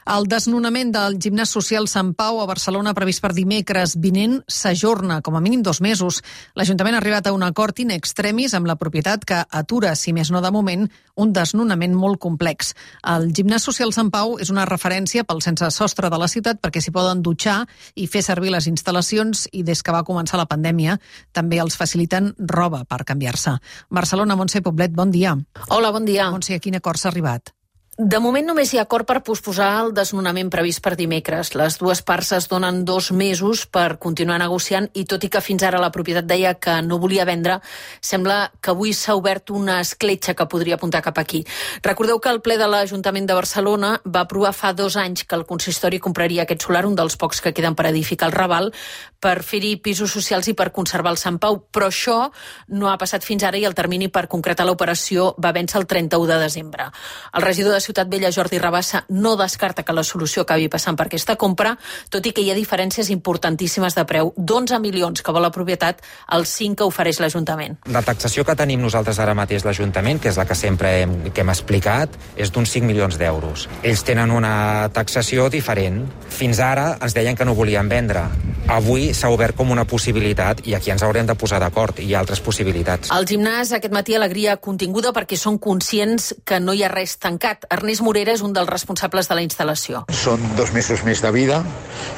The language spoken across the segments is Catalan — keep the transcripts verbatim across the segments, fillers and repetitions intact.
El desnonament del gimnàs social Sant Pau a Barcelona previst per dimecres vinent s'ajorna com a mínim dos mesos. L'Ajuntament ha arribat a un acord in extremis amb la propietat que atura, si més no de moment, un desnonament molt complex. El gimnàs social Sant Pau és una referència pel sense sostre de la ciutat perquè s'hi poden dutxar i fer servir les instal·lacions i des que va començar la pandèmia també els faciliten roba per canviar-se. Barcelona, Montse Poblet, bon dia. Hola, bon dia. Montse, a quin acord s'ha arribat? De moment només hi ha acord per posposar el desnonament previst per dimecres. Les dues parts es donen dos mesos per continuar negociant i tot i que fins ara la propietat deia que no volia vendre, sembla que avui s'ha obert una escletxa que podria apuntar cap aquí. Recordeu que el ple de l'Ajuntament de Barcelona va aprovar fa dos anys que el consistori compraria aquest solar, un dels pocs que queden per edificar el Raval, per fer-hi pisos socials i per conservar el Sant Pau. Però això no ha passat fins ara i el termini per concretar l'operació va vèncer el trenta-u de desembre. El regidor de Ciutat Vella, Jordi Rabassa, no descarta que la solució acabi passant per aquesta compra, tot i que hi ha diferències importantíssimes de preu. D'onze milions que vol la propietat, els cinc que ofereix l'Ajuntament. La taxació que tenim nosaltres ara mateix l'Ajuntament, que és la que sempre hem, que hem explicat, és d'uns cinc milions d'euros. Ells tenen una taxació diferent. Fins ara ens deien que no volien vendre. Avui s'ha obert com una possibilitat i aquí ens haurem de posar d'acord. Hi ha altres possibilitats. Al gimnàs aquest matí alegria continguda perquè són conscients que no hi ha res tancat. Ernest Morera és un dels responsables de la instal·lació. Són dos mesos més de vida,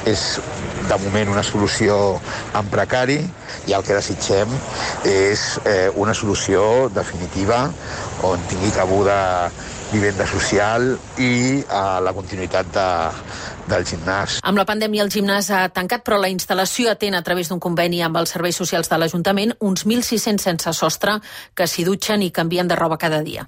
és de moment una solució en precari i el que desitgem és eh, una solució definitiva on tingui cabuda vivenda social i eh, la continuïtat de, del gimnàs. Amb la pandèmia el gimnàs ha tancat, però la instal·lació atén a través d'un conveni amb els serveis socials de l'Ajuntament uns mil sis-cents sense sostre que s'hi dutxen i canvien de roba cada dia.